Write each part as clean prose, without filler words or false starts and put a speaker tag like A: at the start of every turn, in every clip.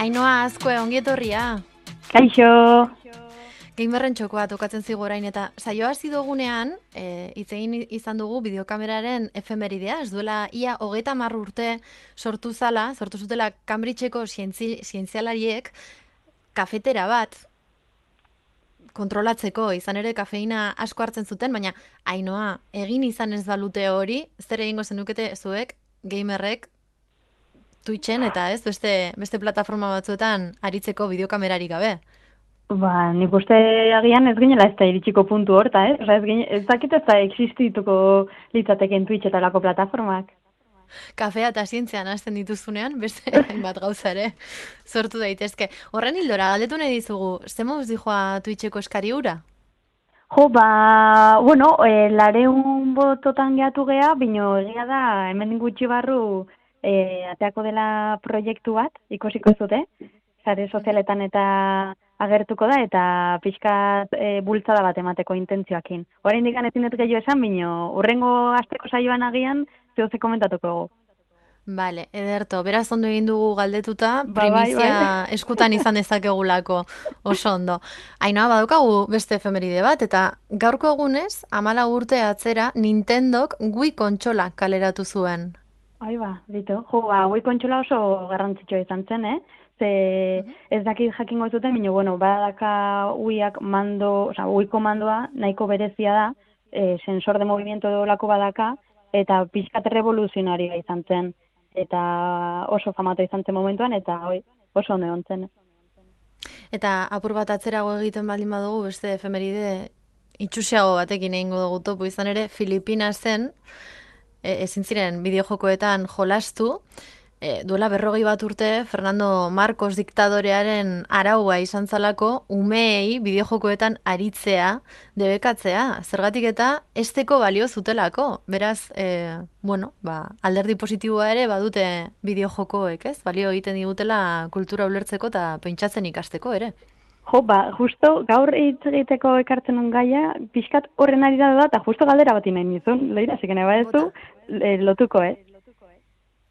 A: Ainhoa Azkue, ongi etorria.
B: Kaixo.
A: Gamerren txokoa tokatzen zigu orain eta saioa hasi dugunean, hitz egin izan dugu bideokameraren efemeridea, ez duela ia 30 urte sortu zutela Cambridgeko zientzialariek kafetera bat kontrolatzeko, izan ere kafeina asko hartzen zuten, baina Ainhoa, egin izan ez balute hori, zer egingo zenukete zuek, gamerrek, Twitchen eta ez, beste plataforma batzuetan aritzeko bideokamerarik gabe.
B: Ba, nik uste agian ez ginela ez da iritsiko puntu horta, ez? Ez dakit ez da existituko litzateken Twitch eta lako plataformak.
A: Kafea eta zientzian hasten dituzunean, beste hainbat gauza ere sortu daitezke. Horren hildora, galdetu nahi dizugu, ze moduz dijoa Twitcheko eskari hura?
B: Jo, ba, bueno, lareun bototan gehatu geha, bino egia da, hemen gutxi barru ateako dela proiektu bat, ikusiko zute, sare sozialetan eta agertuko da, eta pixkat bultzada bat emateko intentzioakin. Horain digan ezin dut gehiago esan, bino, urrengo asteko saioan agian, zehose komentatuko dugu.
A: Bale, ederto, beraz ondo egin dugu galdetuta, primizia eskutan izan dezakegulako, oso ondo. Ainhoa, badaukagu beste efemeride bat, eta gaurko egunez, 14 urte atzera, Nintendok Wii kontsola kaleratu zuen.
B: Ba, ditu. Jo, Wii kontsola oso garrantzitsua izan zen, Ze ez dakit jakingo zuten, bino, bueno, badaka Wiiak Wii mandoa nahiko berezia da, sensor de movimiento dolako badaka, eta pixkat revoluzionaria izan zen. Eta oso famatu izan zen momentuan, eta oso ondo egon zen.
A: Eta apur bat atzerago egiten baldin badugu, beste efemeride itxusiago batekin egingo dugu topo, izan ere, Filipinasen ezin ziren bideojokoetan jolastu, duela 40 bat urte Fernando Marcos diktadorearen araua izan zalako umeei bideojokoetan aritzea, debekatzea, zergatik eta esteko balio zutelako. Beraz, alderdi positiboa ere badute bideojokoek, ez? Balio egiten digutela kultura ulertzeko eta pentsatzen ikasteko ere.
B: Jo, justo gaur hitz egiteko ekartzen on gaia, pixkat horren ari da, eta justo galdera bat nahi nizun, leira, zekene badezu, lotuko,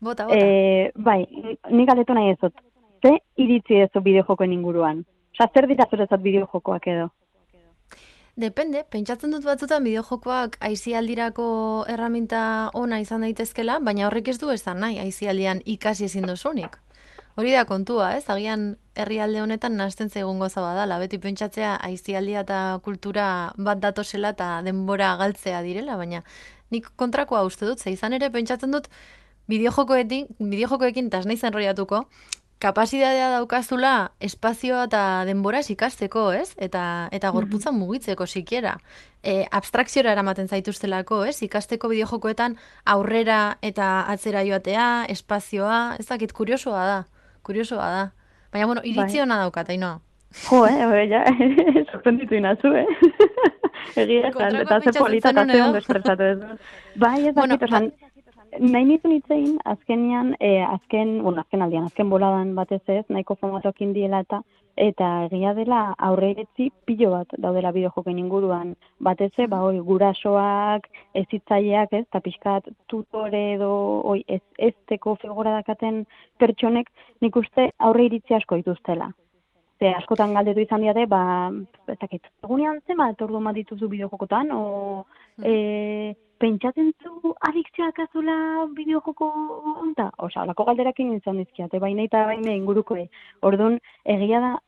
A: Bota.
B: Bai, nik galdetu nahi ezot. Ze iritzi ezo bideojokoen inguruan? Osa, zer dira zuretzat bideojokoak edo?
A: Depende, pentsatzen dut batzutan bideojokoak aisialdirako erraminta ona izan daitezkela, baina horrek ez du esan nahi aisialdian ikasi ezin dozunik. Hori da kontua, ez? Agian herrialde honetan nahasten zaigun goza badala, beti pentsatzea aisialdia eta kultura bat datosela eta denbora galtzea direla, baina nik kontrakoa uste dut, ze izan ere pentsatzen dut bideojokoekin eta ez naiz enroiatuko, kapazitatea daukazula espazioa eta denboraz ikasteko, ez? Eta gorputzan mugitzeko sikiera. Abstrakziora eramaten zaituztelako, ez? Ikasteko bideojokoetan aurrera eta atzera joatea, espazioa, ez dakit, kuriosoa da. Baina, bueno, iritzi hona daukat, Ainhoa.
B: Jo, ja, sorprenditu inazu, Egia esan, eta ze polita eta ze ondo espresatu ez. Bai, ez dakit, esan, nahi nizun hitzein, azken boladan batez ez, nahiko famatuak indiela eta egia dela aurreiretzi pilo bat daudela bideojokoen inguruan. Batez gurasoak, ezitzaileak, ez, eta pixkat tutore edo ezteko figura dakaten pertsonek, nik uste aurreiritzi asko dituztela. Askotan galdetu izan diate, ez dakit, egunean zenbat ordu bat dituzu bideojokotan, pentsatzen zu adikzioak azula bideojoko onta? Osa, olako galderakin izan dizkiate, baina eta baina inguruko. Orduan, egia da,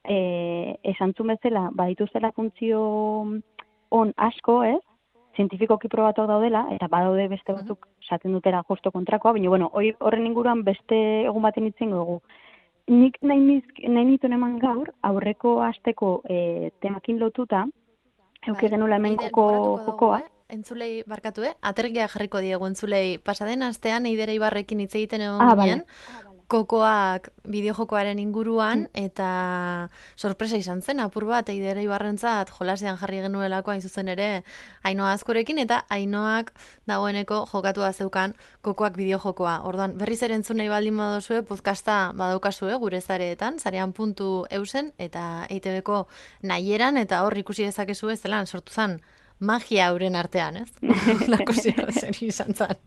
B: esantzun bezala, badituztela funtzio on asko, ez? Zientifikoki probatuak daudela, eta badaude beste batzuk esaten dutela justo kontrakoa, baina, horren inguruan beste egun baten itzen dugu. Nik nahi nituen eman gaur, aurreko asteko temakin lotuta, euki genula hemen jokoa.
A: Entzulei barkatu, atergia jarriko diegu entzulei. Pasaden astean Eidera Ibarrekin hitz egiten egon ginen, kokoak bideojokoaren inguruan, eta sorpresa izan zen, apur bat, Eider Ibarrentzat jolasean jarri genuelako hain zuzen ere Ainhoa Azkorekin, eta Ainhoak dagoeneko jokatua zeukan kokoak bideojokoa. Orduan, berriz ere entzun nahi baldin baduzue, podcasta badaukazue gure zareetan, zarean.eusen, eta EITB-ko nahieran, eta hor ikusi dezakezue zelan sortu zen magia euren artean, ez? Lako zen izan zen.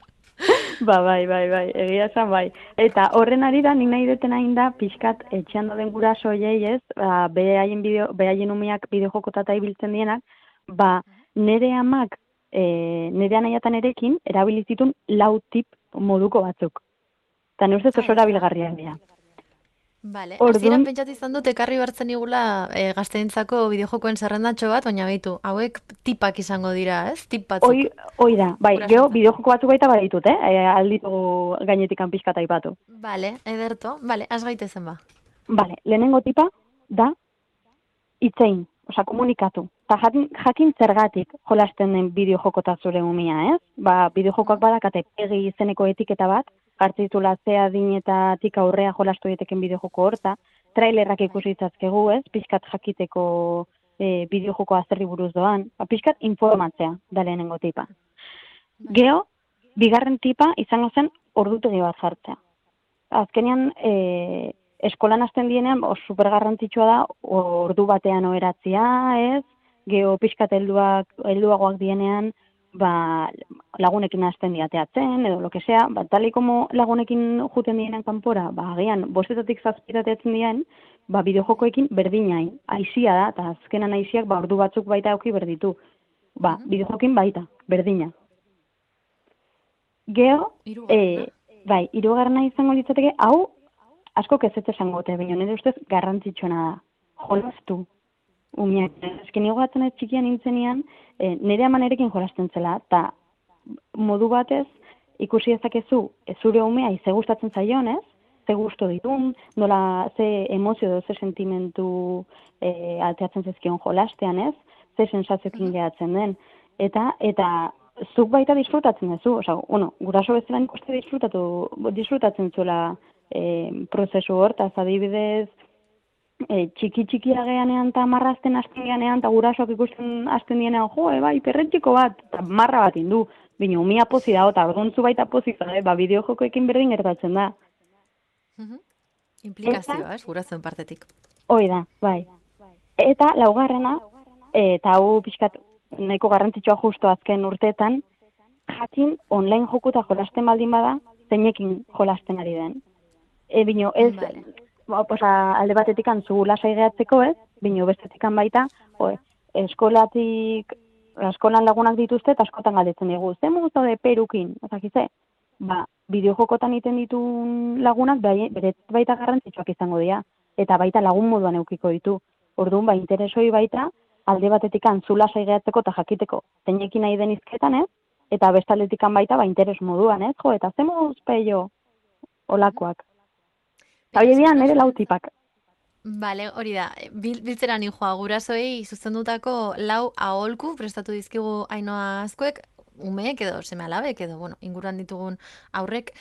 B: Bai, egia esan bai. Eta horren arira, nik nahi duten hain da, pixkat etxean dauden gurasoiei ez, behaien umeak bideojokotata ibiltzen dienak, nire amak, nire anaiatan erekin, erabilizitun lau tip moduko batzuk. Eta nire ustez oso erabilgarriak dira.
A: Bale, hasieran pentsatu izan dut ekarri bertzen igula gazteentzako bideojokoen zerrendatxo bat, baina behitu, hauek tipak izango dira, ez? Tip batzuk.
B: Hoi da, bai, geho bideojoko batzuk baita baditut, alditugu gainetik pixkata ipatu.
A: Bale, ederto, bale, az gaitezen ba.
B: Bale, lehenengo tipa da itzein, komunikatu. Ta jakin zergatik jolasten den bideojokota zure umia, ez? Bideojokoak badakate pegi izeneko etiketa bat, hartzitula zea dinetatik aurrea jolastu diteken bideojoko horta, trailerrak ikusi itzazkegu, ez? Pixkat jakiteko bideojokoa zerri buruz doan, pixkat informatzea da lehenengo tipa. Geho, bigarren tipa izango zen ordutegi bat jartzea. Azkenean, eskolan hasten dienean, supergarrantzitsua da, ordu batean oheratzea, ez? Geho, pixkat helduagoak dienean, lagunekin hasten diateatzen, edo lo que sea, tal y como lagunekin juten dienen kanpora, agian, bostetatik zazpitateatzen dien, bideojokoekin berdinain, aizia da, eta azkenan aiziak, ordu batzuk baita auki berditu. Bideojokin baita, berdina. Geho, hirugarrena izango litzateke, hau, asko kezetze esango gote, baina nire ustez garrantzitsuena da. Jolastu. Umiak, esken igoatzen ez txikian nintzenean, nire amanerekin jolasten zela, eta modu batez ikusi ezakezu zure umea ze gustatzen zaion, ez? Ze gusto ditun, nola ze emozio edo ze sentimentu alteatzen zezkion jolastean, ez? Ze sensazioekin gehatzen den. Eta zuk baita disfrutatzen duzu, guraso bezala nik uste disfrutatzen zuela prozesu hortaz, adibidez, txiki ageanean eta marrazten hasten geanean, eta gurasoak ikusten hasten dienean, perretxiko bat, eta marra bat indu, bine, umia pozi da, eta orduntzu baita pozi da, bideojokoekin berdin gertatzen da.
A: Implikazioa, ez, gurasoen partetik.
B: Hoi da, bai. Eta laugarrena, eta hau pixkat nahiko garrantzitsua justo azken urteetan, jakin online jokuta jolasten baldin bada, zeinekin jolasten ari den. Bino, ez... alde batetik antzu lasai gehatzeko, ez? Bino bestetikan baita, eskolan lagunak dituzte eta askotan galdetzen dugu. Ze muguzo de perukin, ezakize? Bideojokotan iten ditun lagunak beret baita garrantzitsuak izango dira, eta baita lagun moduan eukiko ditu. Orduan, interesoi baita, alde batetik antzu lasai gehatzeko eta jakiteko zeinekin nahi den izketan, ez? Eta bestaletikan baita, interes moduan, ez? Eta ze muguz peio olakoak. Hau dian, nire lau tipak.
A: Bale, hori da, biltzera ninjoa gurasoei zuzendutako lau aholku prestatu dizkigu Ainhoa Azkoek, umeek edo seme-alabek edo, inguruan ditugun aurrek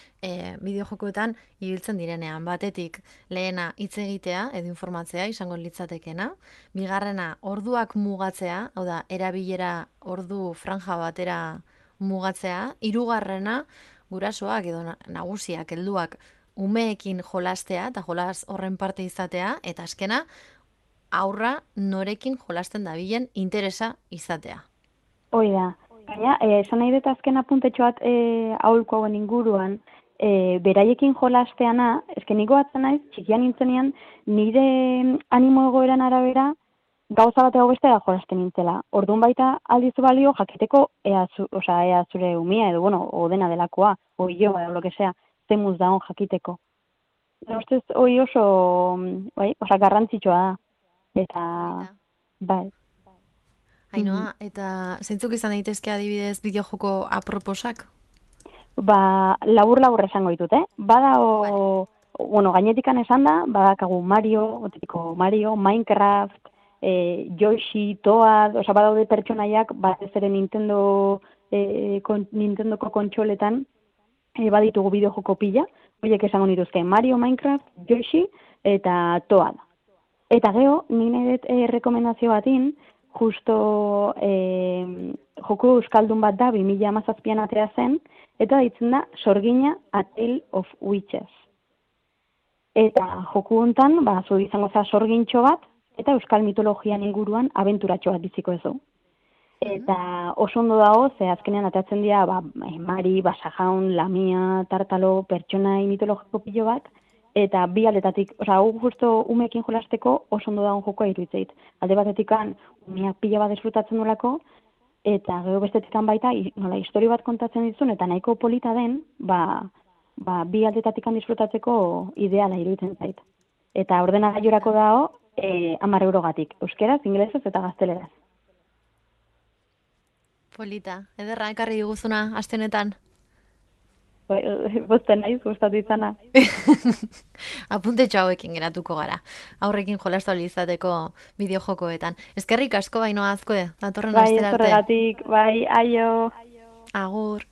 A: bideojokoetan ibiltzen direnean. Batetik, lehena hitz egitea edo informatzea izango litzatekena. Bigarrena, orduak mugatzea, hau da, erabilera ordu franja batera mugatzea. Hirugarrena, gurasoak edo nagusiak, helduak, umeekin jolastea eta jolas horren parte izatea, eta azkena, aurra norekin jolasten dabilen interesa izatea.
B: Hoi da. Baina, esan nahi dut azken apuntetxo bat aholku hauen inguruan, beraiekin jolasteana, esken niko batzen naiz, txikian nintzenean, nire animo egoeran arabera, gauza bat ego bestera jolasten nintzela. Orduan baita aldizu balio jakiteko ea zure umia edo, odena delakoa, oio, edo lo que sea, zemuz da hon jakiteko. Ustez, hoi oso, garrantzitsua da. Eta, bai.
A: Ainhoa, eta zeintzuk izan daitezke adibidez bideojoko aproposak?
B: Labur esango ditut, gainetikan esan da, badakagu Mario, Minecraft, Yoshi, Toad, badaude pertsonaiak, batez ere Nintendoko kontsoletan, baditugu bideojoko pila, Horiek esango nituzke, Mario, Minecraft, Yoshi eta Toad. Eta gero, nire rekomendazio batin, justo joko euskaldun bat da, 2017an atera zen, eta ditzen da, Sorgina, A Tale of Witches. Eta joku hontan, zu izango za sorgintxo bat, eta euskal mitologian inguruan abenturatxo bat biziko ez du. Eta oso ondo dago, ze azkenean atatzen dira, Mari, Basajaun, Lamia, Tartalo, pertsonai mitologiko pilo bat, eta bi aldetatik, hau justo umeekin jolasteko oso ondo dagoen jokoa iruditzeit. Alde batetikan, umeak pila bat disfrutatzen dolako, eta gero bestetikan baita, nola, historio bat kontatzen dizun, eta nahiko polita den, bi aldetatikan disfrutatzeko ideala iruditzen zait. Eta ordenagailurako dago, 10 eurogatik, euskeraz, ingelesez eta gazteleraz.
A: Polita, ederra ekarri diguzuna aste honetan.
B: Bozten naiz, gustatu izana.
A: Apuntetxo hauekin geratuko gara. Aurrekin jolastu ahal izateko bideojokoetan. Eskerrik asko Ainhoa Azkue, datorren astera arte.
B: Bai, zorregatik, bai, aio.
A: Agur.